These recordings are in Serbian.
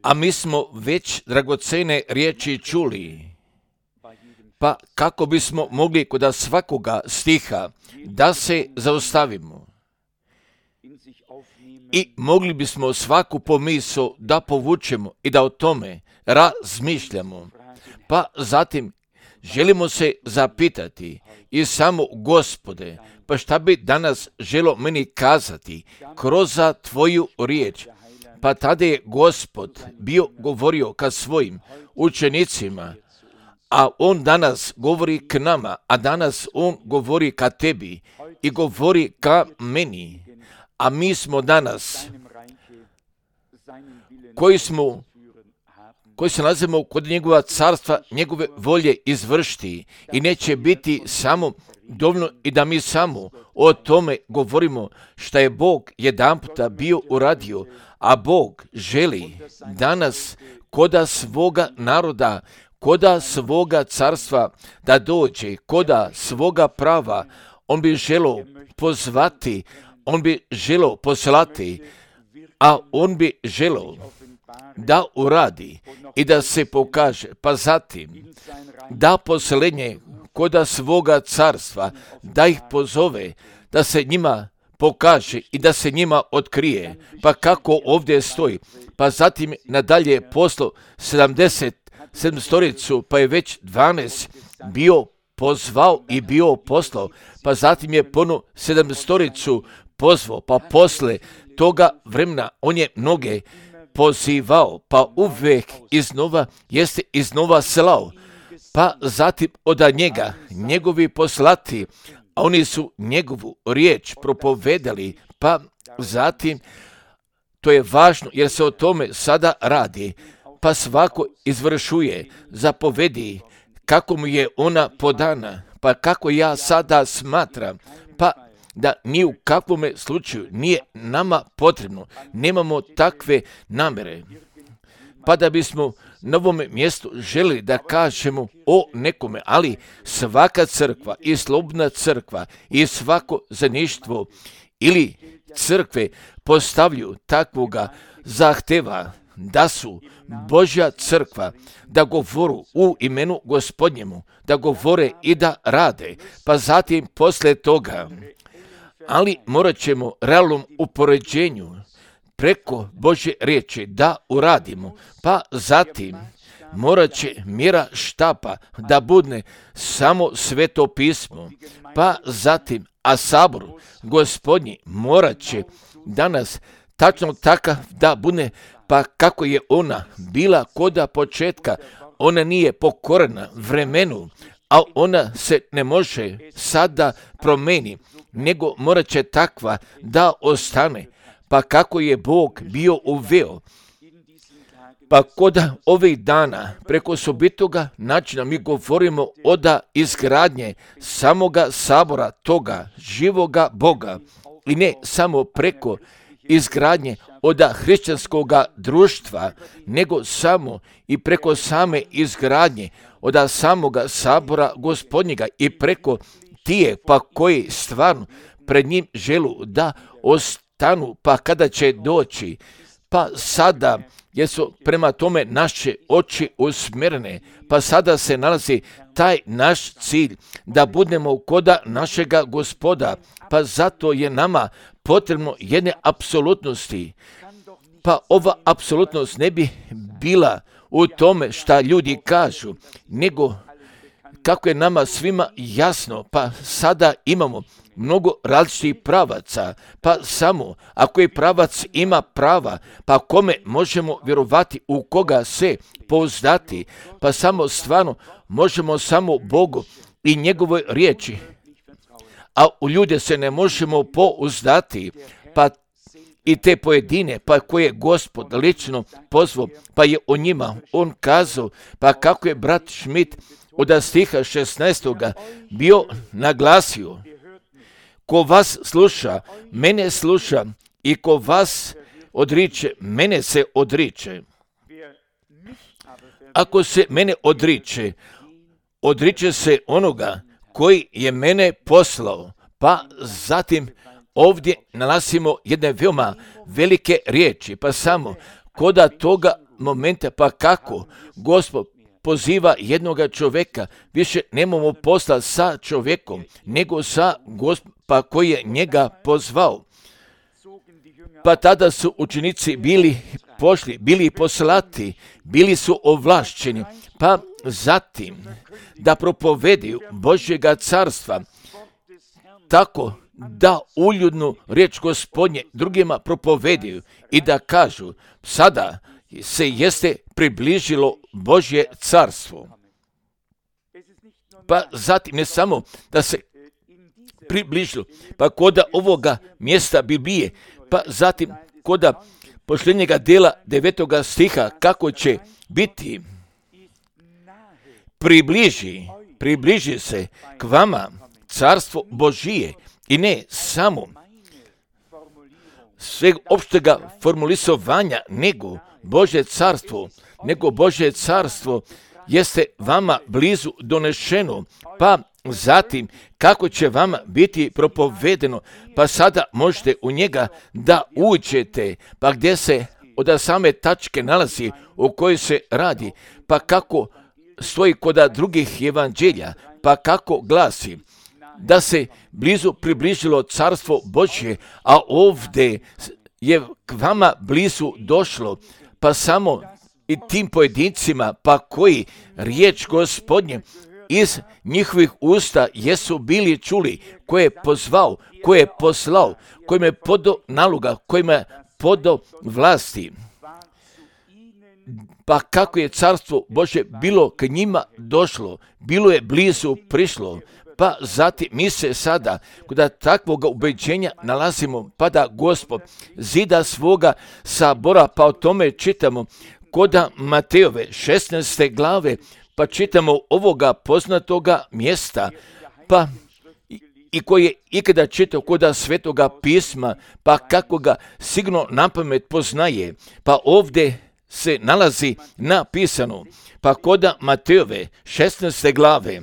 A mi smo već dragocene riječi čuli, pa kako bismo mogli kod svakoga stiha da se zaustavimo i mogli bismo svaku pomisao da povučemo i da o tome razmišljamo, pa zatim želimo se zapitati i samo Gospode, pa šta bi danas želo meni kazati kroz tvoju riječ? Pa tada je Gospod bio govorio ka svojim učenicima, a on danas govori k nama, a danas on govori ka tebi i govori ka meni. A mi smo danas, koji se nalazimo kod njegova carstva, njegove volje izvršiti i neće biti samo dovoljno i da mi samo o tome govorimo šta je Bog jedanputa bio uradio, a Bog želi danas koda svoga naroda, koda svoga carstva da dođe, koda svoga prava. On bi želio pozvati, on bi želio poslati, a on bi želio da uradi i da se pokaže, pa zatim da posljednje koda svoga carstva, da ih pozove, da se njima pokaže i da se njima otkrije. Pa kako ovdje stoji, pa zatim nadalje poslo 77 storicu, pa je već 12 bio pozvao i bio poslao, pa zatim je ponovo 7 storicu pozvao, pa posle toga vremena on je mnoge pozivao, pa uvek iznova slao, pa zatim od njega, njegovi poslati, a oni su njegovu riječ propovedali, pa zatim, to je važno jer se o tome sada radi, pa svako izvršuje, zapovedi kako mu je ona podana, pa kako ja sada smatram, pa da ni u kakvom slučaju nije nama potrebno, nemamo takve namere, pa da bismo na ovom mjestu želili da kažemo o nekome, ali svaka crkva i slobodna crkva i svako zajedništvo ili crkve postavljaju takvoga zahteva da su Božja crkva, da govoru u imenu Gospodnjemu, da govore i da rade, pa zatim posle toga, ali morat ćemo realnom upoređenju preko Božje riječi da uradimo, pa zatim morat će mjera štapa da bude samo Sveto pismo, pa zatim, a sabor Gospodnji morat će danas tačno takav da bude, pa kako je ona bila koda početka, ona nije pokorena vremenu, a ona se ne može sada promeni, nego morat će takva da ostane, pa kako je Bog bio uveo. Pa kod ovih dana, preko osobitoga načina mi govorimo od izgradnje samoga sabora toga živoga Boga i ne samo preko izgradnje od hrišćanskoga društva, nego samo i preko same izgradnje od samoga sabora Gospodnjega i preko tije pa koji stvarno pred njim želu da ostanu, pa kada će doći, pa sada jesu prema tome naše oči usmjerene, pa sada se nalazi taj naš cilj da budemo koda našega Gospoda, pa zato je nama potrebno jedne apsolutnosti. Pa ova apsolutnost ne bi bila u tome šta ljudi kažu, nego kako je nama svima jasno, pa sada imamo mnogo različitih pravaca, pa samo ako je pravac ima prava, pa kome možemo vjerovati, u koga se pouzdati, pa samo stvarno možemo samo Bogu i njegovoj riječi, a u ljude se ne možemo pouzdati, pa i te pojedine, pa koje Gospod lično pozvao, pa je o njima on kazao, pa kako je brat Schmidt od stiha 16. bio naglasio, ko vas sluša, mene sluša, i ko vas odriče, mene se odriče. Ako se mene odriče, odriče se onoga koji je mene poslao, pa zatim ovdje nalazimo jedne veoma velike riječi, pa samo koda toga momenta, pa kako Gospod poziva jednoga čovjeka, više nemamo posla sa čovjekom, nego sa Gospodom, pa koji je njega pozvao. Pa tada su učenici bili pošli, bili poslati, bili su ovlašćeni, pa zatim da propovediju Božjega carstva, tako da uljudnu riječ Gospodnje drugima propovediju i da kažu, sada se jeste približilo Božje carstvo. Pa zatim ne samo da se približilo, pa koda ovoga mjesta Biblije, pa zatim koda posljednjega dela 9. stiha, kako će biti približi se k vama carstvo Božije i ne samo sveg opštega formulisovanja, nego Božje carstvo jeste vama blizu donešeno, pa zatim kako će vama biti propovedeno, pa sada možete u njega da uđete, pa gdje se od same tačke nalazi u kojoj se radi, pa kako stoji kod drugih evanđelja, pa kako glasi da se blizu približilo carstvo Božje, a ovdje je k vama blizu došlo, pa samo i tim pojedincima, pa koji riječ Gospodnje iz njihovih usta jesu bili čuli, koje je pozvao, koje je poslao, kojim je podao naloga, kojim je podao vlasti. Pa kako je carstvo Božje bilo k njima došlo, bilo je blizu prišlo, pa zatim mi se sada kod takvog ubeđenja nalazimo, pa da Gospod zida svoga sabora, pa o tome čitamo kod Matejove 16. glave, pa čitamo ovoga poznatoga mjesta, pa i koji je ikada čitao kod Svetoga pisma, pa kako ga sigurno napamet poznaje, pa ovdje se nalazi napisano, pa kod Matejove 16. glave,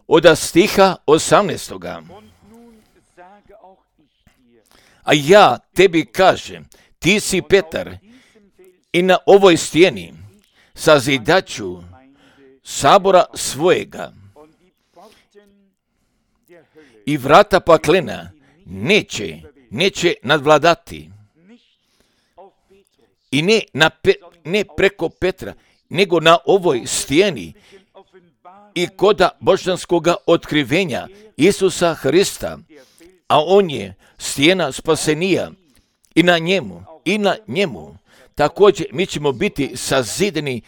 od stiha 18. A ja tebi kažem, ti si Petar, i na ovoj stijeni sazidaću sabora svojega, i vrata paklena neće nadvladati. I ne preko Petra, nego na ovoj stijeni i koda božanskoga otkrivenja Isusa Hrista, a on je stijena spasenija, i na njemu također mi ćemo biti sazideni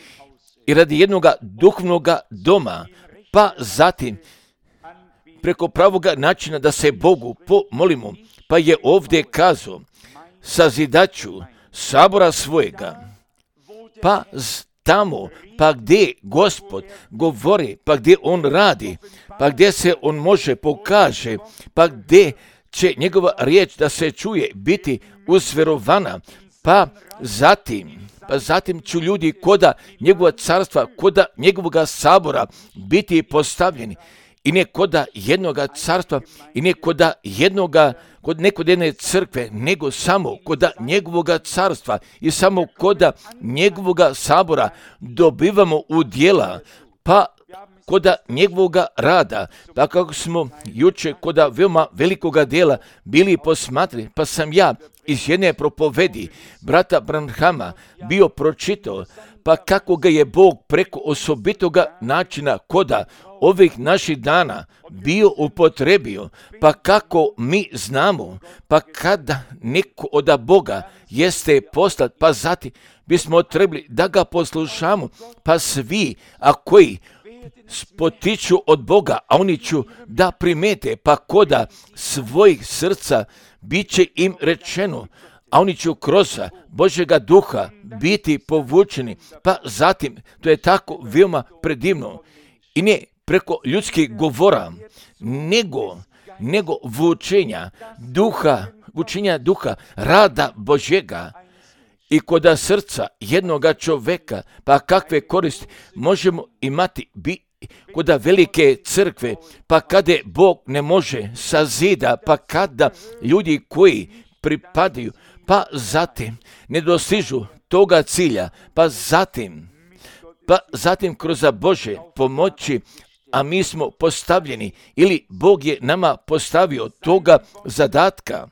i radi jednoga duhovnoga doma, pa zatim preko pravoga načina da se Bogu pomolimo, pa je ovdje kazao, sazidaću sabora svojega, pa tamo, pa gdje Gospod govori, pa gdje on radi, pa gdje se on može pokaže, pa gdje će njegova riječ da se čuje biti usverovana, pa zatim ću ljudi koda njegova carstva, koda njegovoga sabora biti postavljeni, i ne koda jednoga carstva, i ne koda kod jedne crkve, nego samo koda njegovoga carstva i samo koda njegovoga sabora dobivamo udjela, pa koda njegovoga rada, pa kako smo juče koda veoma velikoga djela bili posmatrali, pa sam ja iz jedne propovedi brata Branhama bio pročitao, pa kako ga je Bog preko osobitoga načina koda ovih naših dana bio upotrebio, pa kako mi znamo, pa kada neko od Boga jeste poslat, pa zatim bismo trebali da ga poslušamo, pa svi, a koji potiču od Boga, a oni ću da primete, pa koda svojih srca bit će im rečeno, a oni će kroz Božjega duha biti povučeni, pa zatim, to je tako veoma predivno, i ne preko ljudskih govora, nego vučenja duha, rada Božjega, i koda srca jednoga čoveka, pa kakve koristi možemo imati koda velike crkve, pa kada Bog ne može sazida, pa kada ljudi koji pripadaju, pa zatim ne dostižu toga cilja, pa zatim kroz Bože pomoći, a mi smo postavljeni ili Bog je nama postavio toga zadatka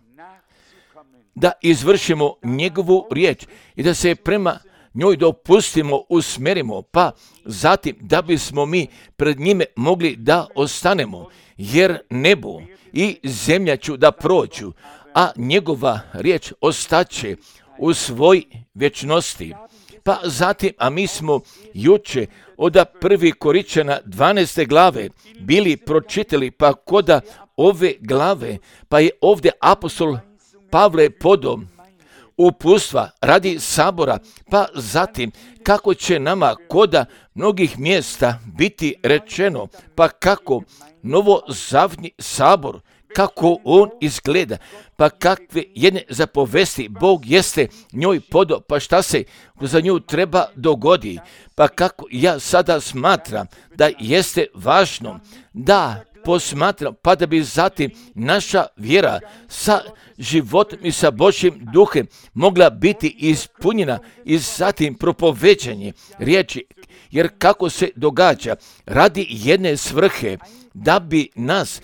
da izvršimo njegovu riječ i da se prema njoj dopustimo, usmerimo, pa zatim da bismo mi pred njime mogli da ostanemo, jer nebo i zemlja ću da prođu, a njegova riječ ostaće u svoj vječnosti. Pa zatim, a mi smo juče od 1. Korinćana 12. glave bili pročitali, pa koda ove glave, pa je ovdje apostol Pavle podao uputstva radi sabora, pa zatim kako će nama koda mnogih mjesta biti rečeno, pa kako novozavni sabor, kako on izgleda, pa kakve jedne zapovesti Bog jeste njoj podao, pa šta se za nju treba dogodi, pa kako ja sada smatram da jeste važno da posmatram, pa da bi zatim naša vjera sa životom i sa Božjim duhem mogla biti ispunjena i zatim propoveđanje riječi, jer kako se događa radi jedne svrhe, da bi nas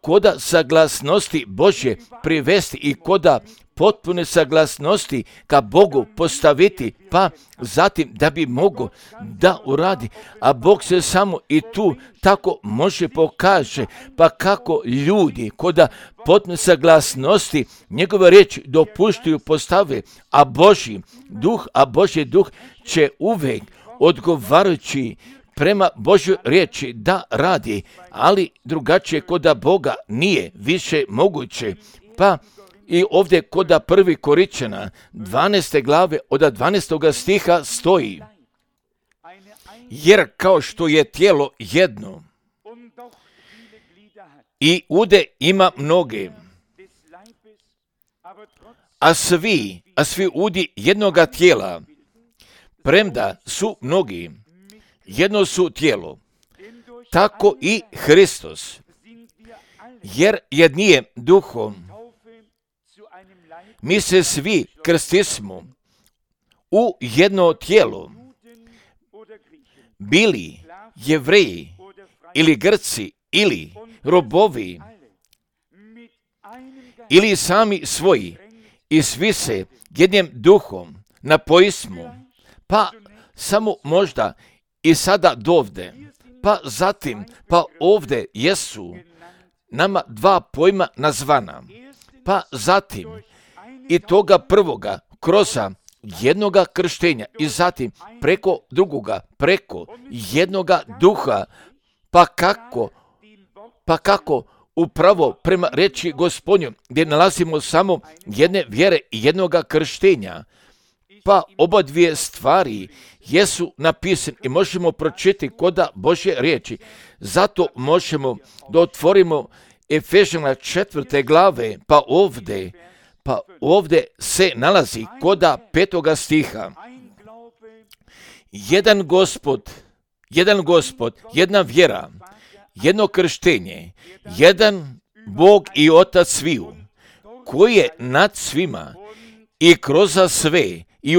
koda saglasnosti Božje privesti i koda potpune saglasnosti ka Bogu postaviti, pa zatim da bi mogo da uradi, a Bog se samo i tu tako može pokaže, pa kako ljudi koda potpune saglasnosti njegove riječi dopuštuju postave, a Božji duh će uvijek odgovarajući prema Božjoj riječi da radi, ali drugačije koda Boga nije više moguće. Pa i ovdje koda 1. Korinćana 12. glave od 12. stiha stoji: jer kao što je tijelo jedno i ude ima mnoge, a svi udi jednoga tijela, premda su mnogi, jedno su tijelo, tako i Hristos, jer jednije duhom mi se svi krstismo u jedno tijelo, bili Jevreji ili Grci ili robovi ili sami svoji, i svi se jednim duhom napojismo, pa samo možda i sada dovde, pa zatim, pa ovdje jesu nama dva pojma nazvana, pa zatim i toga prvoga kroz jednoga krštenja i zatim preko drugoga, preko jednoga duha, pa kako upravo prema reči Gospodnju, gdje nalazimo samo jedne vjere i jednoga krštenja, pa oba dvije stvari jesu napisane i možemo pročitati koda Božje riječi. Zato možemo da otvorimo Efežana 4. glave, pa ovdje se nalazi koda 5. stiha. Jedan Gospod, jedna vjera, jedno krštenje, jedan Bog i Otac sviju, koji je nad svima i kroz sve i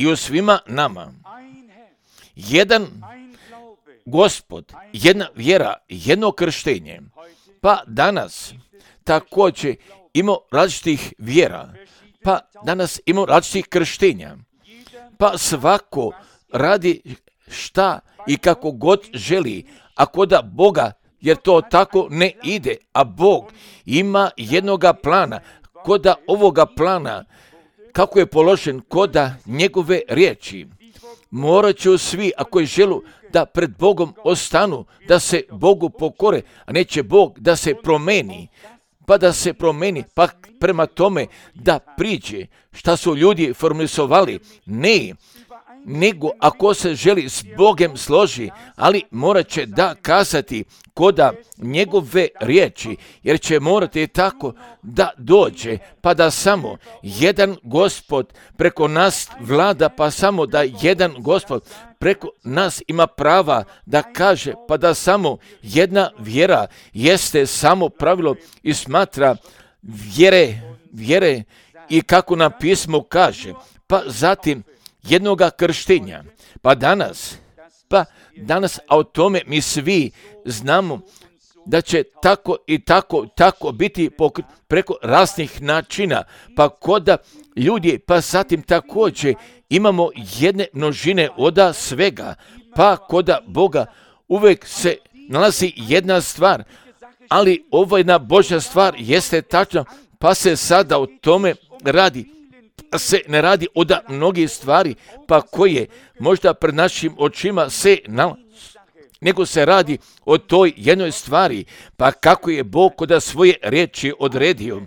u svima nama. Jedan Gospod, jedna vjera, jedno krštenje. Pa danas također imamo različitih vjera, pa danas imamo različitih krštenja, pa svako radi šta i kako god želi, a koda Boga, jer to tako ne ide, a Bog ima jednoga plana, koda ovoga plana, kako je položen koda njegove riječi. Morat će svi, ako želu da pred Bogom ostanu, da se Bogu pokore, a neće Bog da se promeni, pa prema tome da priđe šta su ljudi formulisovali. Ne, nego ako se želi s Bogom složi, ali morat će da kazati koda njegove riječi, jer će morati tako da dođe, pa da samo jedan Gospod preko nas vlada, pa samo da jedan Gospod preko nas ima prava da kaže, pa da samo jedna vjera jeste samo pravilo i smatra vjere i kako nam pismo kaže, pa zatim jednoga krštenja. Pa danas, a o tome mi svi znamo da će tako i tako biti preko raznih načina, pa koda ljudi, pa zatim također imamo jedne množine oda svega, pa koda Boga uvijek se nalazi jedna stvar, ali ovo jedna Božja stvar jeste tačna, pa se sada o tome radi. Se ne radi od mnogih stvari, pa koje možda pred našim očima se nalazi, nego se radi o toj jednoj stvari, pa kako je Bog kod svoje riječi odredio.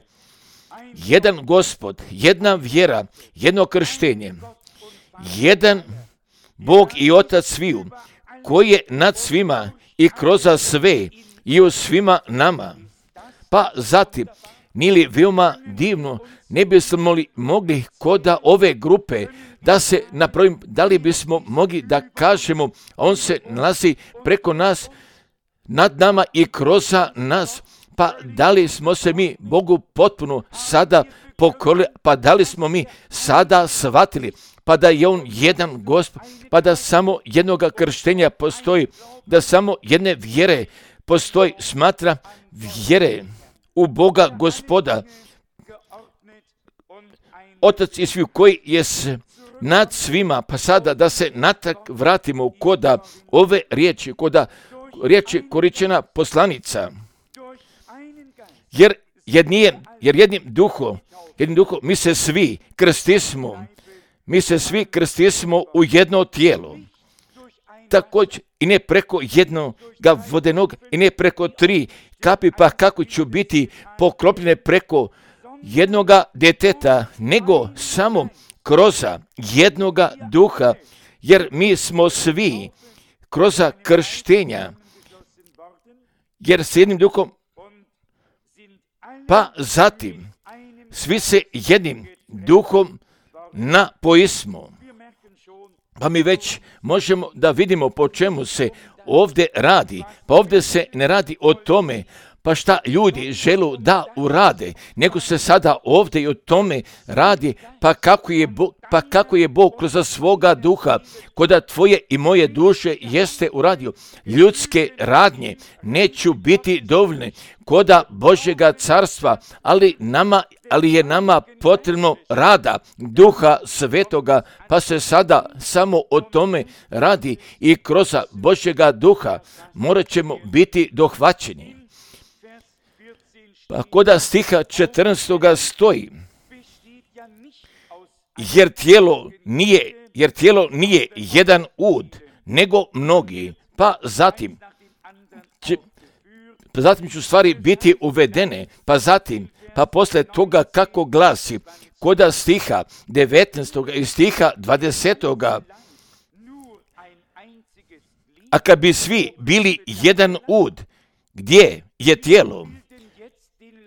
Jedan Gospod, jedna vjera, jedno krštenje, jedan Bog i Otac sviju, koji je nad svima i kroz sve i u svima nama. Pa zatim, nije li veoma divno, ne bismo li mogli koda ove grupe da se napravim, da li bismo mogli da kažemo, on se nalazi preko nas, nad nama i kroz nas, pa da li smo se mi Bogu potpuno sada pokorili, pa da li smo mi sada shvatili, pa da je on jedan Gospod, pa da samo jednoga krštenja postoji, da samo jedne vjere postoji, smatra vjere u Boga Gospoda, Otac i sviju koji je nad svima, pa sada da se natrag vratimo koda ove riječi, koda riječi koričena poslanica, jer jednim duhom mi se svi krstismo u jedno tijelo, također i ne preko jednoga vodenog i ne preko 3 kapi, pa kako ću biti poklopljene preko jednoga djeteta, nego samo kroz jednoga duha, jer mi smo svi kroz krštenja, jer s jednim duhom, pa zatim svi se jednim duhom napoismo. Pa mi već možemo da vidimo po čemu se ovdje radi. Pa ovdje se ne radi o tome pa šta ljudi želu da urade, nego se sada ovdje i o tome radi, pa kako je Bog kroz svoga duha koda tvoje i moje duše jeste uradio. Ljudske radnje neću biti dovoljne koda Božjega carstva, ali je nama potrebno rada Duha Svetoga, pa se sada samo o tome radi i kroz Božjega duha morat ćemo biti dohvaćeni. Pa koda stiha 14. stoji, jer tijelo nije jedan ud, nego mnogi, pa zatim ću stvari biti uvedene, pa posle toga kako glasi, koda stiha 19. i stiha 20. A kad bi svi bili jedan ud, gdje je tijelo?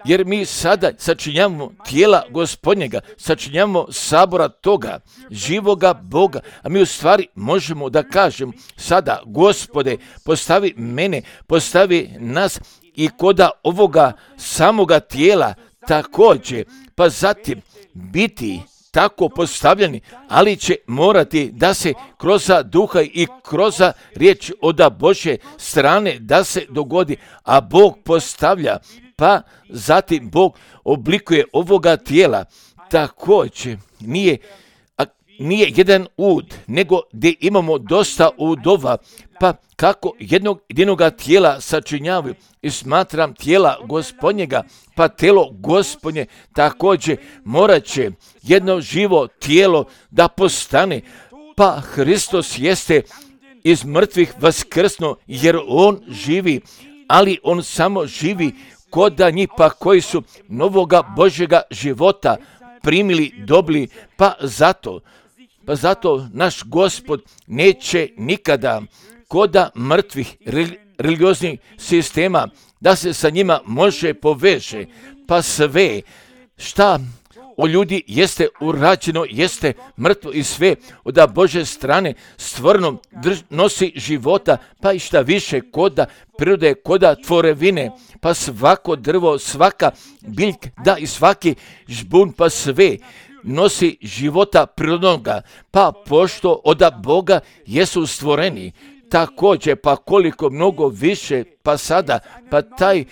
Jer mi sada sačinjavamo tijela Gospodnjega, sačinjavamo sabora toga, živoga Boga, a mi u stvari možemo da kažemo sada, Gospode, postavi mene, postavi nas i koda ovoga samoga tijela također, pa zatim biti tako postavljeni, ali će morati da se kroz duha i kroz riječ od Božje strane da se dogodi, a Bog postavlja, pa zatim Bog oblikuje ovoga tijela. Također nije jedan ud, nego gdje imamo dosta udova, pa kako jednoga tijela sačinjavaju i smatram tijela Gospodnjega, pa tijelo Gospodnje također morat će jedno živo tijelo da postane, pa Hristos jeste iz mrtvih vaskrsnuo, jer on živi, ali on samo živi koda njih pa koji su novoga Božjega života primili, dobili, pa Pa zato naš Gospod neće nikada koda mrtvih religioznih sistema da se sa njima može poveže. Pa sve šta o ljudi jeste urađeno, jeste mrtvo i sve od Bože strane stvarno nosi života, pa i šta više koda prirode, koda tvorevine, pa svako drvo, svaka biljka, da i svaki žbun, pa sve nosi života prirodnoga, pa pošto od Boga jesu stvoreni, također pa koliko mnogo više, pa sada, pa taj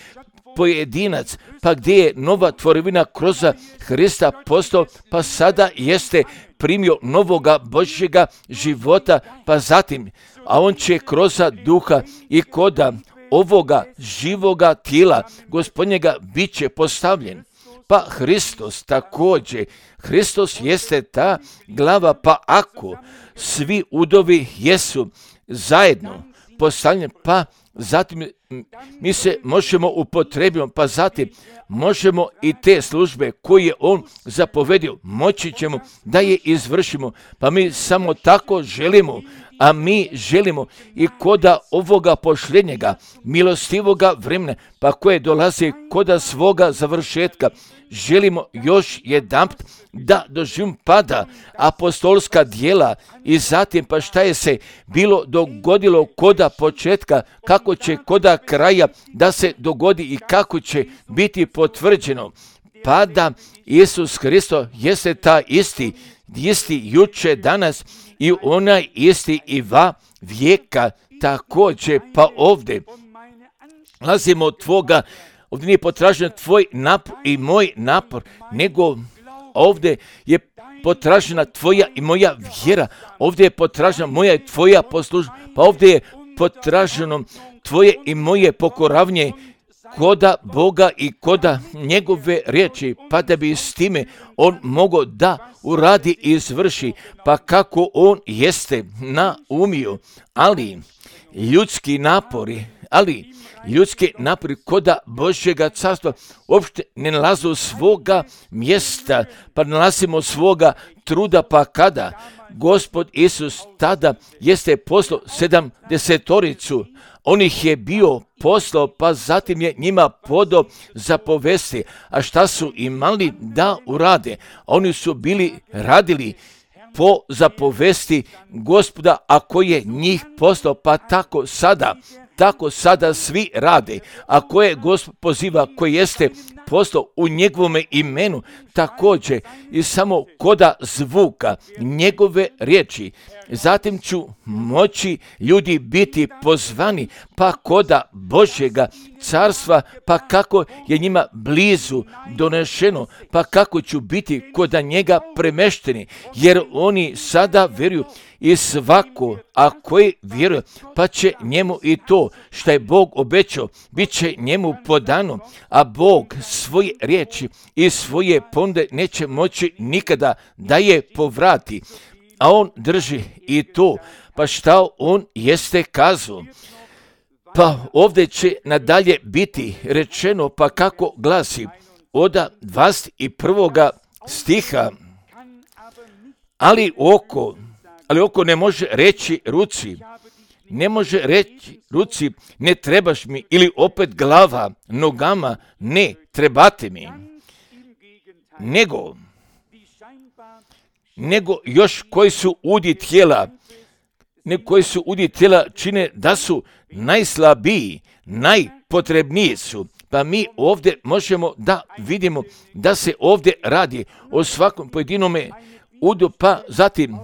pojedinac, pa gdje je nova tvorevina kroz Hrista postao, pa sada jeste primio novoga Božjega života, pa zatim, a on će kroz duha i koda ovoga živoga tijela Gospodnjega bit će postavljen. Pa Hristos također, Hristos jeste ta glava, pa ako svi udovi jesu zajedno postavljeni, pa zatim mi se možemo upotrebiti, pa zatim možemo i te službe koje je on zapovedio, moći ćemo da je izvršimo, pa mi samo tako želimo, a mi želimo i koda ovoga pošljenjega, milostivoga vremena, pa koje dolazi koda svoga završetka, želimo još jedanput da doživimo pada apostolska djela i zatim pa šta je se bilo dogodilo koda početka, kako će koda kraja da se dogodi i kako će biti potvrđeno. Pa da Isus Hristos jeste ta isti juče, danas i onaj isti i va vijeka također. Pa ovdje lazimo od tvoga, ovdje nije potražen tvoj napor i moj napor, nego ovdje je potražena tvoja i moja vjera, ovdje je potražena moja i tvoja poslušnost, pa ovdje je potraženo tvoje i moje pokoravnje koda Boga i koda njegove riječi, pa da bi s time on mogao da uradi i izvrši, pa kako on jeste naumio, ali ljudski napori koda Božjega carstva uopšte ne nalazu svoga mjesta, pa nalazimo svoga truda, pa kada Gospod Isus tada jeste poslao 70, on ih je bio poslao, pa zatim je njima podao zapovesti, a šta su imali da urade? Oni su radili po zapovesti Gospoda, a koji je njih poslao, pa tako sada svi rade, a koje Gospod poziva, koji jeste poslao u njegovome imenu, također i samo koda zvuka njegove riječi. Zatim ću moći ljudi biti pozvani, pa koda Božjega carstva, pa kako je njima blizu donešeno, pa kako ću biti koda njega premešteni, jer oni sada vjeruju i svako, a koji vjeruje, pa će njemu i to što je Bog obećao, bit će njemu podano, a Bog svoje riječi i svoje ponude neće moći nikada da je povrati. A on drži i to, pa šta on jeste kazao. Pa ovdje će nadalje biti rečeno, pa kako glasi od 21. stiha, ali oko ne može reći ruci, ne trebaš mi, ili opet glava nogama, ne trebate mi, nego još koji su udi tijela čine da su najslabiji, najpotrebniji su. Pa mi ovdje možemo da vidimo da se ovdje radi o svakom pojedinome udu, pa zatim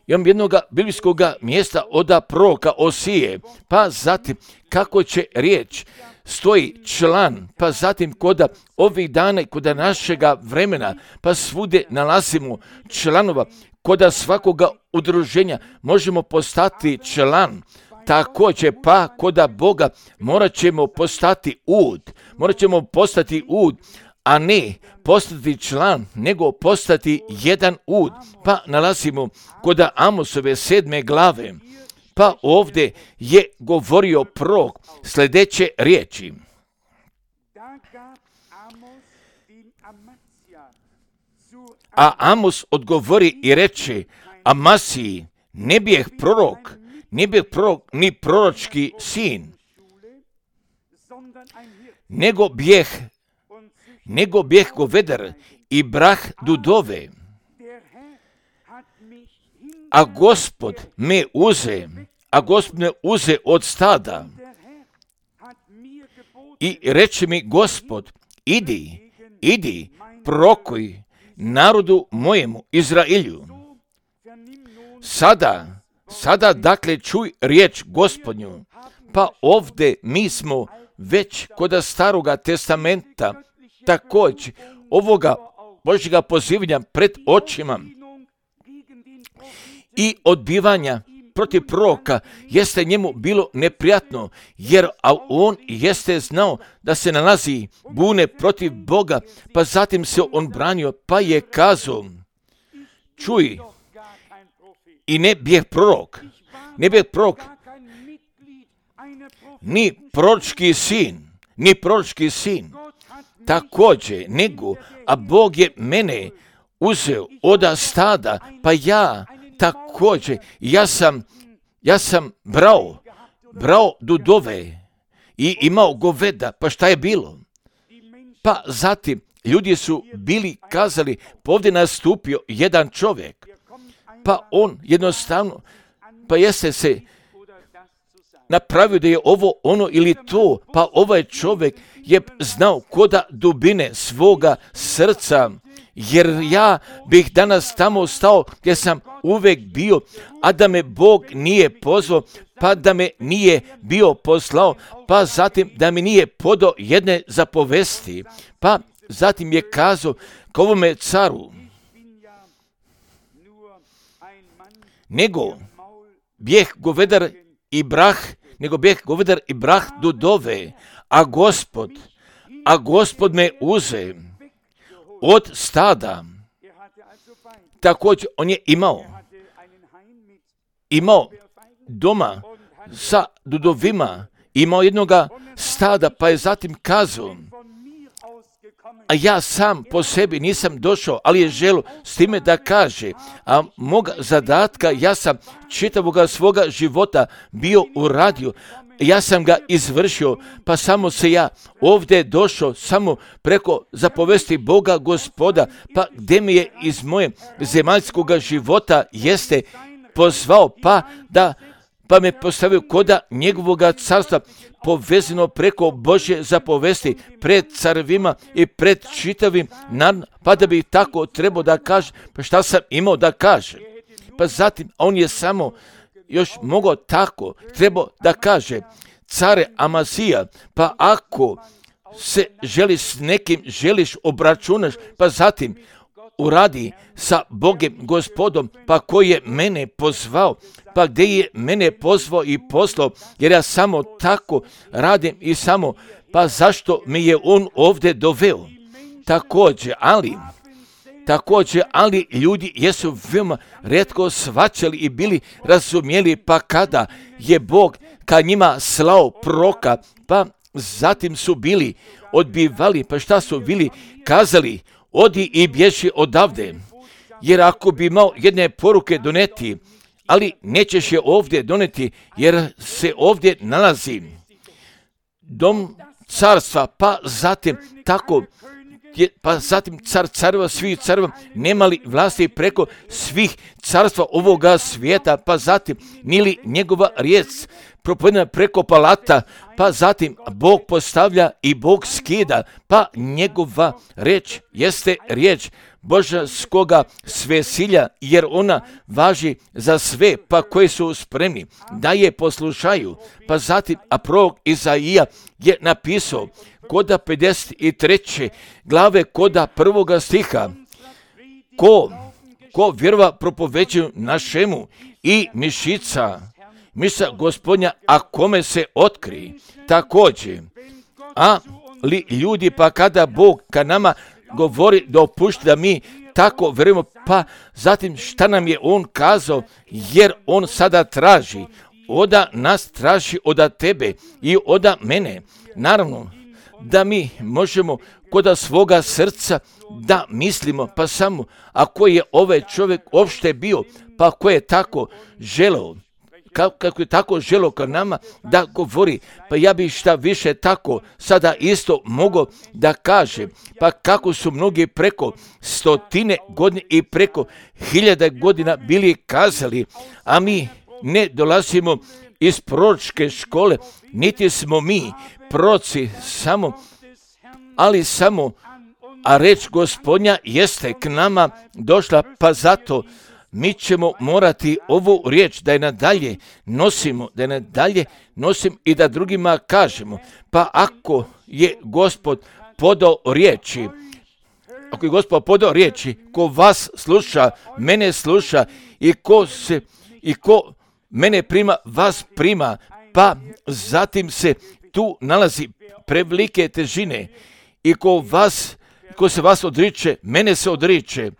imam jednog biblijskog mjesta od proroka Osije, pa zatim kako će riječ stoji član, pa zatim koda ovih dana i koda našega vremena, pa svude nalazimo članova, koda svakoga udruženja možemo postati član. Također pa koda Boga morat ćemo postati ud, a ne postati član, nego postati jedan ud. Pa nalazimo koda Amosove 7. glave, pa ovdje je govorio prorok sljedeće riječi. A Amos odgovori i reče, a Masiji ne bijeh prorok, ni proročki sin, nego bijeh govedar i brah dudove. A Gospod me uze od stada i reče mi Gospod, idi, prorokuj narodu mojemu Izraelju. Sada dakle čuj riječ Gospodnju. Pa ovdje mi smo već kod Staroga testamenta također ovoga Božjega pozivanja pred očima i odbivanja protiv proroka jeste njemu bilo neprijatno, jer on jeste znao da se nalazi bune protiv Boga, pa zatim se on branio, pa je kazao, čuj, i ne bijeh prorok, ni proročki sin, također, a Bog je mene uzeo od stada, pa ja također, ja sam brao dudove i imao goveda, pa šta je bilo? Pa zatim ljudi su bili kazali, pa ovdje nastupio jedan čovjek, pa on jednostavno, pa jeste se napravio da je ovo ono ili to, pa ovaj čovjek je znao koda dubine svoga srca, jer ja bih danas tamo stao gdje sam uvijek bio, a da me Bog nije pozvao, pa da me nije bio poslao, pa zatim da mi nije podao jedne zapovesti, pa zatim je kazao k ovome caru, nego bijeh govedar i brah dudove, a Gospod me uze od stada. Također on je imao doma sa dudovima, imao jednoga stada, pa je zatim kazao, a ja sam po sebi nisam došao, ali je želio s time da kaže, a moga zadatka ja sam čitavoga svoga života bio uradio, ja sam ga izvršio, pa samo se ja ovdje došao samo preko zapovesti Boga Gospoda, pa gdje me je iz moje zemaljskoga života jeste pozvao, pa me postavio koda njegovoga carstva, povezano preko Božje zapovesti pred carevima i pred čitavim narodom, pa da bi tako trebao da kaže, pa šta sam imao da kaže. Pa zatim on je samo još mogao tako, trebao da kaže, care Amazija, pa ako se s nekim želiš obračunaš, pa zatim uradi sa Bogem Gospodom, pa koji je mene pozvao, pa gdje je mene pozvao i poslao, jer ja samo tako radim i samo, pa zašto me je on ovdje doveo? Također, ali ljudi jesu veoma retko shvaćali i bili razumjeli, pa kada je Bog ka njima slao proroka, pa zatim su bili odbivali, pa šta su bili kazali, odi i bježi odavde, jer ako bi imao jedne poruke doneti, ali nećeš je ovdje doneti, jer se ovdje nalazi dom carstva, pa zatim tako, pa zatim car careva, svih careva, nemali vlasti preko svih carstva ovoga svijeta, pa zatim nili njegova riječ propovedena preko palata, pa zatim Bog postavlja i Bog skida, pa njegova riječ jeste riječ božanskoga svesilja, jer ona važi za sve, pa koji su spremni da je poslušaju. Pa zatim, a prorok Izaija je napisao koda 53. glave koda 1. stiha, ko vjerova propoveđuju našemu i mišica Gospodnja, a kome se otkri. Također, ali ljudi, pa kada Bog ka nama govori da opušti da mi tako vjerujemo, pa zatim šta nam je on kazao, jer on sada traži, oda nas traži, oda tebe i oda mene. Naravno, da mi možemo kod svoga srca da mislimo, pa samo ako je ovaj čovjek uopšte bio, pa ko je tako želeo, kako je tako želeo ka nama da govori, pa ja bih šta više tako sada isto mogao da kaže, pa kako su mnogi preko 100 godina i preko 1000 godina bili kazali, a mi ne dolazimo iz proročke škole, niti smo mi proroci samo, ali samo, a reč Gospodnja jeste k nama došla, pa zato mi ćemo morati ovu riječ da je nadalje nosimo, i da drugima kažemo. Pa ako je Gospod podao riječi, ko vas sluša, mene sluša i ko mene prima, vas prima, pa zatim se tu nalazi prevelike težine i ko se vas odriče, mene se odriče.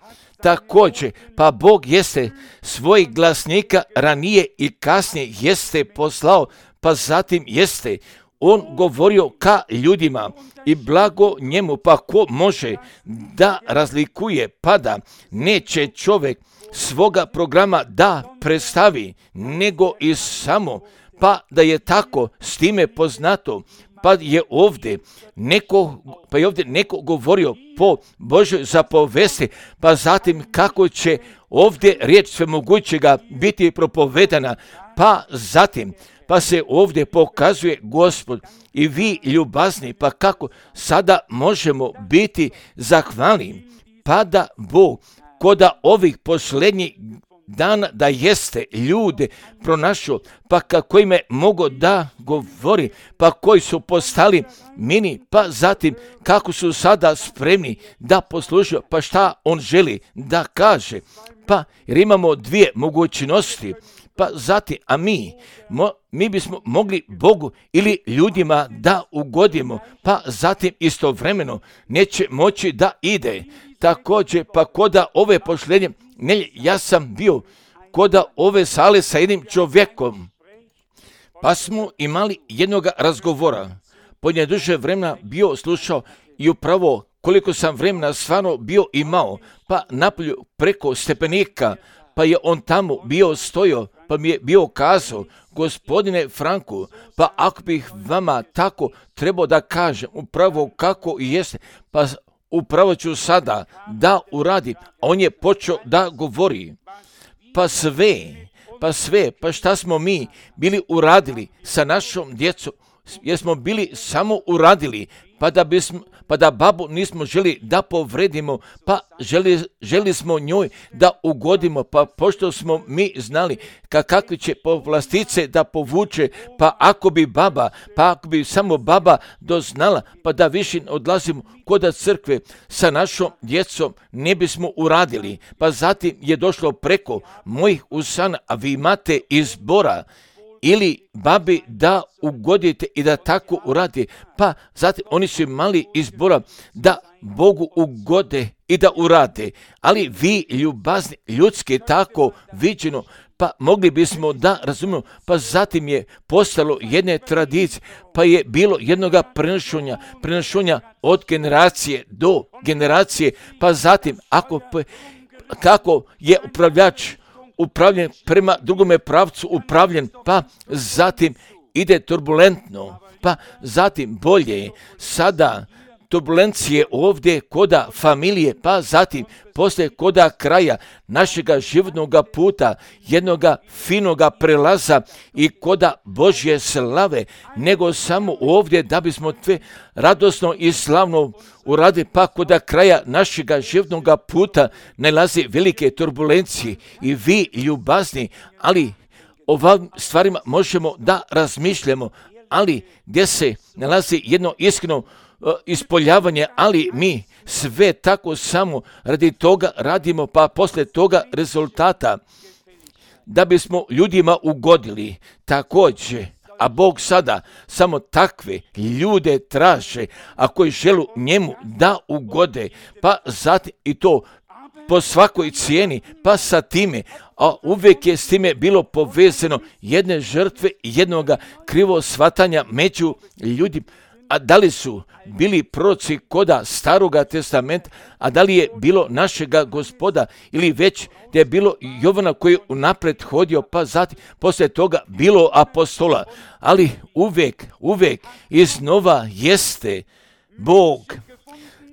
Također, pa Bog jeste svojih glasnika ranije i kasnije jeste poslao, pa zatim jeste on govorio ka ljudima i blago njemu, pa ko može da razlikuje, pa da neće čovjek svoga programa da predstavi, nego i samo, pa da je tako s time poznato, pa je ovdje neko govorio po Božoj zapovesti, pa zatim kako će ovdje riječ svemogućega biti propovedana, pa se ovdje pokazuje Gospod i vi ljubazni, pa kako sada možemo biti zahvalni, pa da Bog koda ovih posljednjih dana da jeste ljude pronašao, pa kako ime mogu da govori, pa koji su postali mini, pa zatim kako su sada spremni da poslušaju, pa šta on želi da kaže, pa jer imamo dvije mogućnosti, pa zatim, a mi bismo mogli Bogu ili ljudima da ugodimo, pa zatim istovremeno neće moći da ide. Također, pa koda ove posljednje, ja sam bio koda ove sale sa jednim čovjekom, pa smo imali jednog razgovora, podnje duže vremena bio slušao i upravo koliko sam vremena stvarno bio imao, pa napolju preko stepenika, pa je on tamo bio stojao, pa mi je bio kazao, gospodine Franku, pa ako bih vama tako trebao da kažem upravo kako i jeste, pa upravo ću sada da uradim. A on je počeo da govori, pa šta smo mi bili uradili sa našom djecom, jer smo bili samo uradili, pa da babu nismo želi da povredimo, pa želi smo njoj da ugodimo, pa pošto smo mi znali kakve će povlastice da povuče, pa ako bi samo baba doznala, pa da više odlazimo kod crkve sa našom djecom, ne bismo uradili. Pa zatim je došlo preko mojih usana, a vi imate izbora, ili babi da ugodite i da tako uradi, pa zatim oni su imali izbora da Bogu ugode i da urade, ali vi ljubazni ljudski tako viđeno, pa mogli bismo da razumijemo, pa zatim je postalo jedne tradicije, pa je bilo jednoga prenošenja od generacije do generacije, pa zatim kako je upravljen prema drugome pravcu upravljen, pa zatim ide turbulentno, pa zatim bolje, sada turbulencije ovdje koda familije, pa zatim poslije koda kraja našega životnog puta, jednoga finoga prelaza i koda Božje slave, nego samo ovdje da bismo sve radosno i slavno uradili, pa koda kraja našega životnog puta nalazi velike turbulencije i vi ljubazni, ali ovim stvarima možemo da razmišljamo, ali gdje se nalazi jedno iskreno ispoljavanje, ali mi sve tako samo radi toga radimo, pa poslije toga rezultata da bismo ljudima ugodili. Također, a Bog sada samo takve ljude traže, a koji želu njemu da ugode, pa zatim i to po svakoj cijeni, pa sa time, a uvijek je s time bilo povezano jedne žrtve i jednoga krivo shvatanja među ljudima, a da li su bili proroci koda Staroga testamenta, a da li je bilo našega Gospoda, ili već da je bilo Jovana koji je unapred hodio, pa zatim poslije toga bilo apostola, ali uvijek iznova jeste Bog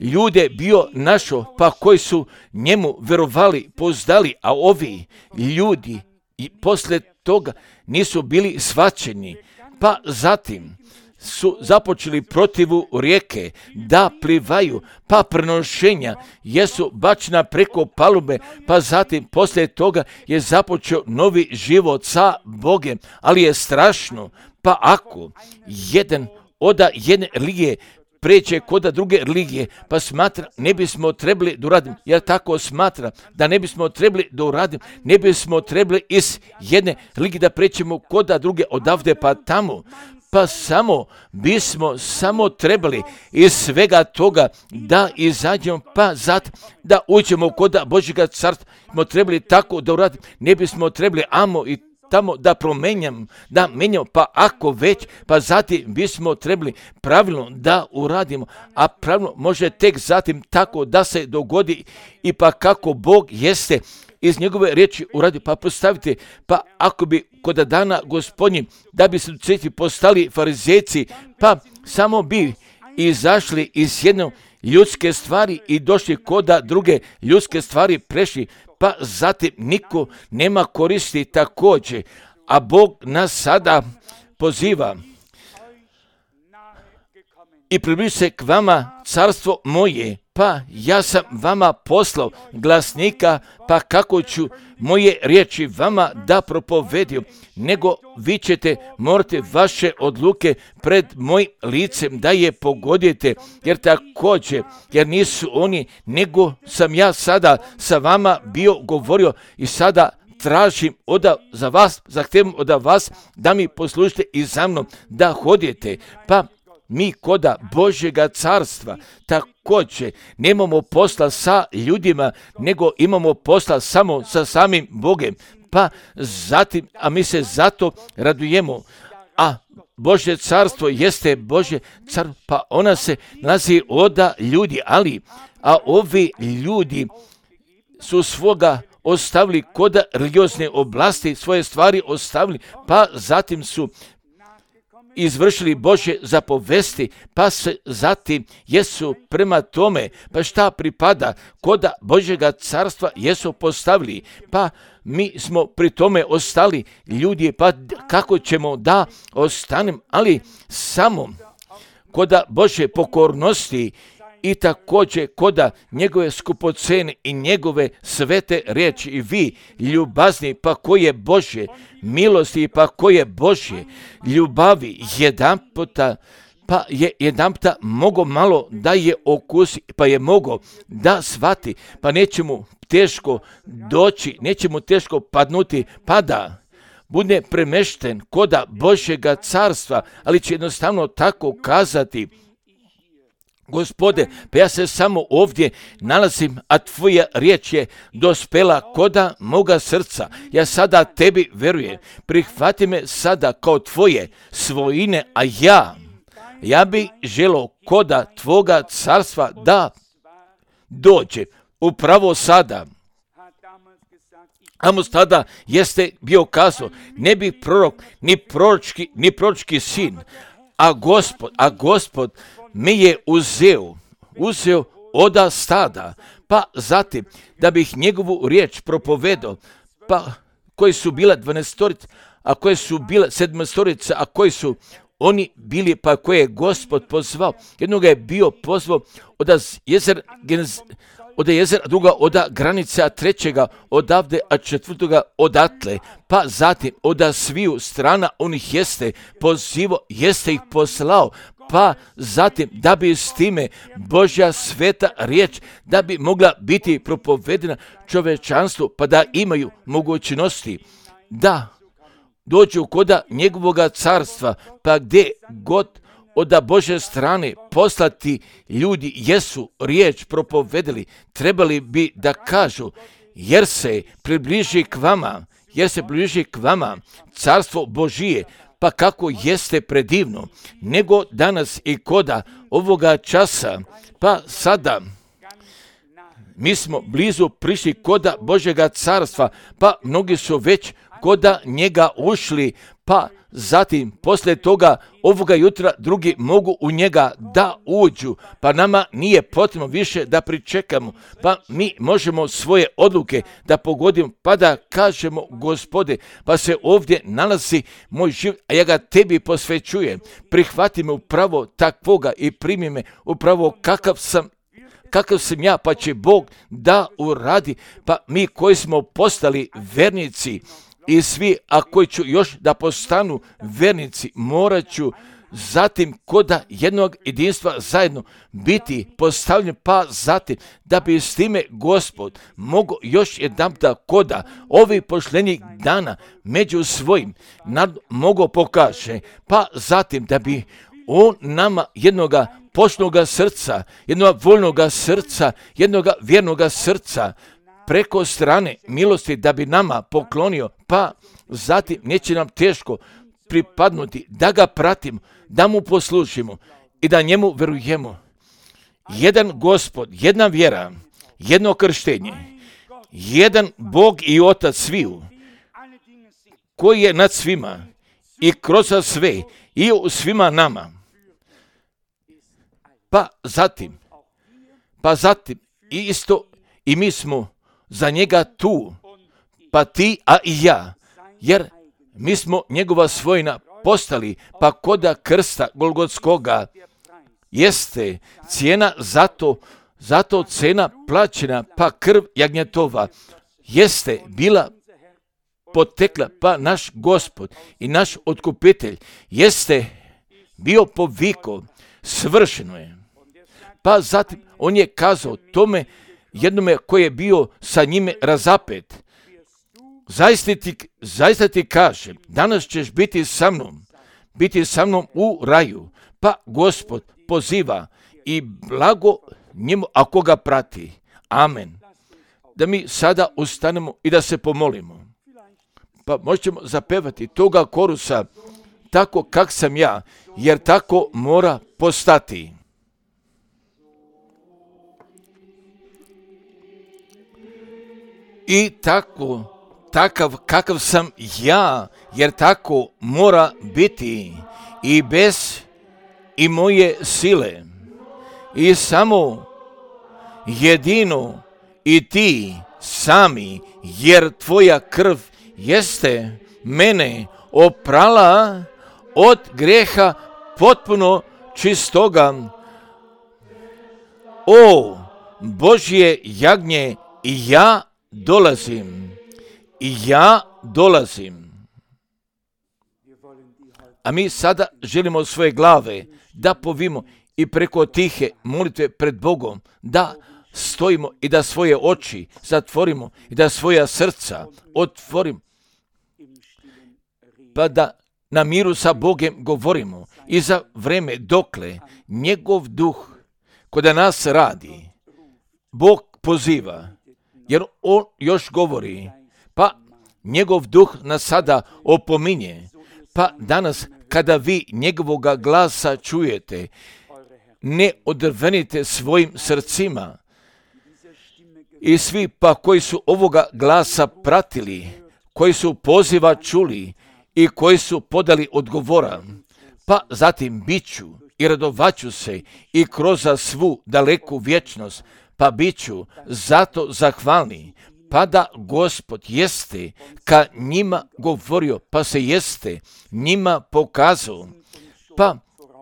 ljude bio našo, pa koji su njemu verovali, poznali, a ovi ljudi i poslije toga nisu bili shvaćeni, pa zatim su započeli protivu rijeke da plivaju, pa prenošenja jesu bačena preko palube, pa zatim poslije toga je započeo novi život sa Bogem, ali je strašno, pa ako jedan od jedne religije preće kod druge religije, pa smatra ne bismo trebali da uradim, jer tako smatra da ne bismo trebali da uradim, ne bismo trebali iz jedne religije da prećemo kod druge odavde pa tamo, pa bismo trebali iz svega toga da izađemo, pa zatim da uđemo kod Božjega carstva, smo trebali tako da uradim, ne bismo trebali amo i tamo da menjamo, pa ako već, pa zatim bismo trebali pravilno da uradimo, a pravilno može tek zatim tako da se dogodi i pa kako Bog jeste iz njegove riječi uradio, pa postavite, pa ako bi kod dana Gospodnji, da bi se postali farizejci, pa samo bi izašli iz jedne ljudske stvari i došli kod druge ljudske stvari prešli, pa zatim niko nema koristi također, a Bog nas sada poziva i približi se k vama carstvo moje, pa ja sam vama poslao glasnika, pa kako ću moje riječi vama da propovedim, nego vi ćete morati vaše odluke pred mojim licem da je pogodite, jer nisu oni, nego sam ja sada sa vama bio govorio i sada tražim zahtijevam od vas da mi poslušite i za mnom da hodite, pa mi koda Božjega carstva također nemamo posla sa ljudima, nego imamo posla samo sa samim Bogem, pa zatim, a mi se zato radujemo, a Božje carstvo jeste Božje carstvo, pa ona se nalazi od ljudi, a ovi ljudi su svoga ostavili kod religiozne oblasti, svoje stvari ostavili, pa zatim su izvršili Božje zapovesti, pa se zatim jesu prema tome, pa šta pripada kod Božjega carstva jesu postavili, pa mi smo pri tome ostali ljudi, pa kako ćemo da ostanem, ali samo kod Božje pokornosti i također kod njegove skupocene i njegove svete riječi, i vi ljubazni, pa koje Božje milosti, pa koje Božje ljubavi jedanputa mogo malo da je okusi, pa je mogo da shvati, pa neće mu teško doći, neće mu teško padnuti, pa da bude premešten kod Božjega carstva, ali će jednostavno tako kazati: Gospode, pa ja se samo ovdje nalazim, a tvoja riječ je dospela koda moga srca. Ja sada tebi verujem, prihvati me sada kao tvoje svojine, a ja bi želio koda tvoga carstva da dođe upravo sada. Amos tada jeste bio kazao: ne bi prorok, ni proročki sin, a Gospod me je uzeo oda stada, pa zatim da bih njegovu riječ propovedao, pa koji su bila 12, a koje su bila 7, a koji su oni bili, pa koje je Gospod pozvao. Jednoga je bio pozvao od jezera, druga od granica, trećega odavde, a četvrtoga odatle, pa zatim od sviju strana onih jeste pozivao, jeste ih poslao, pa zatim da bi s time Božja sveta riječ da bi mogla biti propovedena čovečanstvu, pa da imaju mogućnosti da dođu kod njegovoga carstva, pa gdje god od Božje strane poslati ljudi jesu riječ propovedeli, trebali bi da kažu: jer se približi k vama carstvo Božije, pa kako jeste predivno, nego danas i koda ovoga časa, pa sada mi smo blizu prišli koda Božjega carstva, pa mnogi su već koda njega ušli, pa zatim poslije toga ovoga jutra drugi mogu u njega da uđu, pa nama nije potrebno više da pričekamo, pa mi možemo svoje odluke da pogodimo, pa da kažemo Gospode, pa se ovdje nalazi moj život, a ja ga tebi posvećujem, prihvati me upravo takvoga i primi me upravo kakav sam ja, pa će Bog da uradi, pa mi koji smo postali vernici i svi, a koji ću još da postanu vernici, morat ću zatim koda jednog jedinstva zajedno biti postavljen, pa zatim da bi s time Gospod mogo još jedanputa koda ovih pošljenih dana među svojim mogo pokaže, pa zatim da bi on nama jednoga poštnoga srca, jednoga voljnoga srca, jednoga vjernoga srca preko strane milosti da bi nama poklonio, pa zatim neće nam teško pripadnuti da ga pratimo, da mu poslušimo i da njemu verujemo. Jedan Gospod, jedna vjera, jedno krštenje, jedan Bog i Otac sviju, koji je nad svima i kroz sve i u svima nama. Pa zatim isto i mi smo za njega tu, pa ti, a i ja, jer mi smo njegova svojina postali, pa koda krsta Golgotskoga jeste cijena zato cena plaćena, pa krv jagnjetova jeste bila potekla, pa naš Gospod i naš otkupitelj jeste bio poviko, svršeno je. Pa zatim on je kazao tome jednome koji je bio sa njime razapet, zaista ti kažem, danas ćeš biti sa mnom u raju. Pa Gospod poziva i blago njemu ako ga prati. Amen. Da mi sada ustanemo i da se pomolimo. Pa možemo zapevati toga korusa tako kak sam ja, jer tako mora postati. I takav kakav sam ja, jer tako mora biti i bez i moje sile. I samo jedino i ti sami, jer tvoja krv jeste mene oprala od grijeha potpuno čistoga. O Božje jagnje, i ja dolazim. A mi sada želimo svoje glave da povimo i preko tihe molitve pred Bogom da stojimo i da svoje oči zatvorimo i da svoja srca otvorimo, pa da na miru sa Bogom govorimo i za vreme dokle njegov duh kod nas radi. Bog poziva, jer on još govori, pa njegov duh nas sada opominje. Pa danas kada vi njegovoga glasa čujete, ne odrvenite svojim srcima. I svi pa koji su ovoga glasa pratili, koji su poziva čuli i koji su podali odgovora, pa zatim biću i radovaću se i kroz svu daleku vječnost, pa biću zato zahvalni, pa da Gospod jeste ka njima govorio, pa se jeste njima pokazao, pa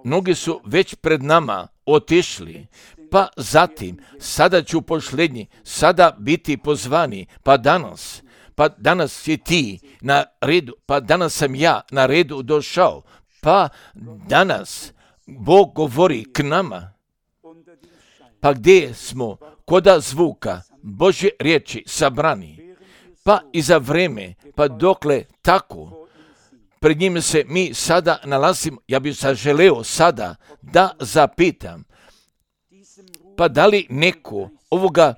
mnogi su već pred nama otišli, pa zatim sada ću posljednji sada biti pozvani, pa danas si ti na redu, pa danas sam ja na redu došao, pa danas Bog govori k nama, pa gdje smo koda zvuka Božje riječi sabrani, pa i za vreme, pa dokle tako pred njim se mi sada nalazimo. Ja bih želeo sada da zapitam, pa da li neko ovoga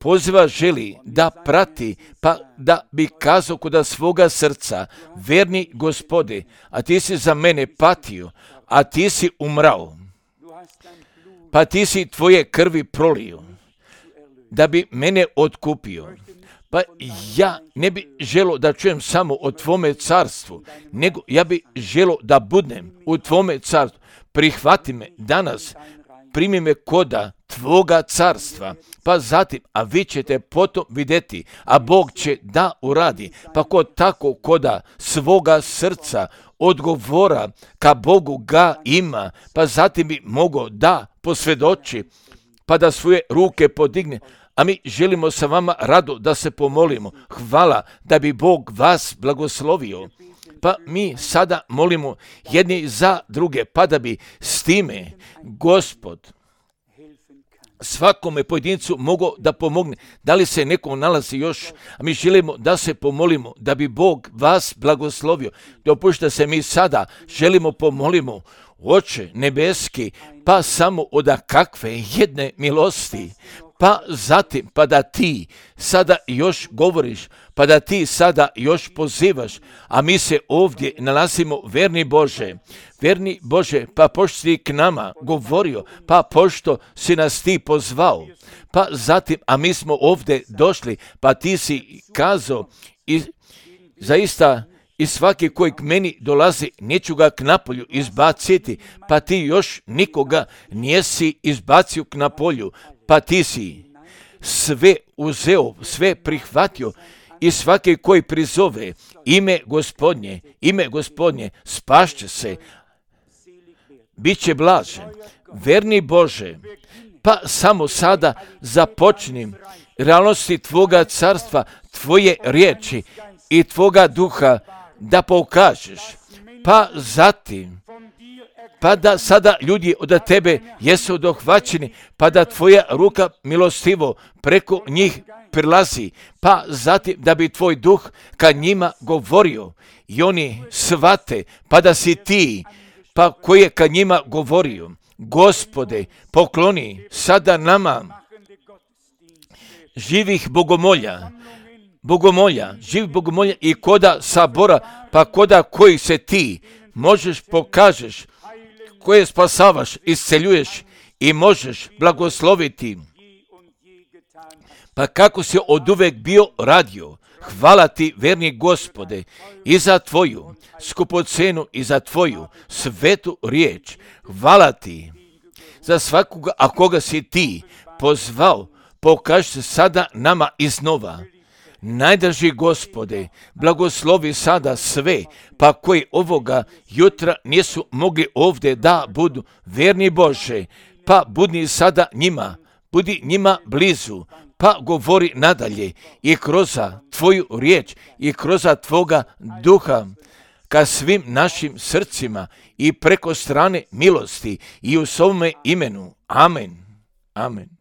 poziva želi da prati, pa da bi kazao kod svoga srca, verni Gospode, a ti si za mene patio, a ti si umrao, pa ti si tvoje krvi prolio, da bi mene otkupio. Pa ja ne bi želio da čujem samo o tvome carstvu, nego ja bi želio da budem u tvome carstvu. Prihvati me danas, primi me koda tvoga carstva, pa zatim, a vi ćete potom vidjeti, a Bog će da uradi, pa ko tako koda svoga srca odgovora ka Bogu ga ima, pa zatim bi mogao da posvjedoči, pa da svoje ruke podigne. A mi želimo sa vama rado da se pomolimo. Hvala da bi Bog vas blagoslovio. Pa mi sada molimo jedni za druge, pa da bi s time Gospod svakome pojedincu mogao da pomogne. Da li se neko nalazi još, a mi želimo da se pomolimo, da bi Bog vas blagoslovio. Dopušta se mi sada želimo pomolimo, Oče nebeski, pa samo od kakve jedne milosti, pa zatim, pa da ti sada još govoriš, pa da ti sada još pozivaš, a mi se ovdje nalazimo, verni Bože, pa pošto si k nama govorio, pa pošto si nas ti pozvao, pa zatim, a mi smo ovdje došli, pa ti si kazao i zaista i svaki koji k meni dolazi, neću ga k napolju izbaciti, pa ti još nikoga nisi izbacio k napolju, pa ti si sve uzeo, sve prihvatio i svaki koji prizove ime Gospodnje, spašće se, bit će blažen. Verni Bože, pa samo sada započnim realnosti tvoga carstva, tvoje riječi i tvoga duha da pokažeš, pa zatim, pa da sada ljudi od tebe jesu dohvaćeni, pa da tvoja ruka milostivo preko njih prilazi, pa zatim da bi tvoj duh ka njima govorio i oni shvate, pa da si ti, pa koji je ka njima govorio. Gospode, pokloni sada nama živih živih bogomolja i koda sabora, pa koda koji se ti možeš pokažeš, koje spasavaš, isceljuješ i možeš blagosloviti. Pa kako si oduvek bio radio, hvala ti, verni Gospode, i za tvoju skupocenu i za tvoju svetu riječ. Hvala ti za svakoga, a koga si ti pozvao, pokaži se sada nama iznova. Najdraži Gospode, blagoslovi sada sve, pa koji ovoga jutra nisu mogli ovdje da budu, verni Bože, pa budi sada njima, budi njima blizu, pa govori nadalje i kroz tvoju riječ i kroz tvoga duha ka svim našim srcima i preko strane milosti i u svome imenu. Amen. Amen.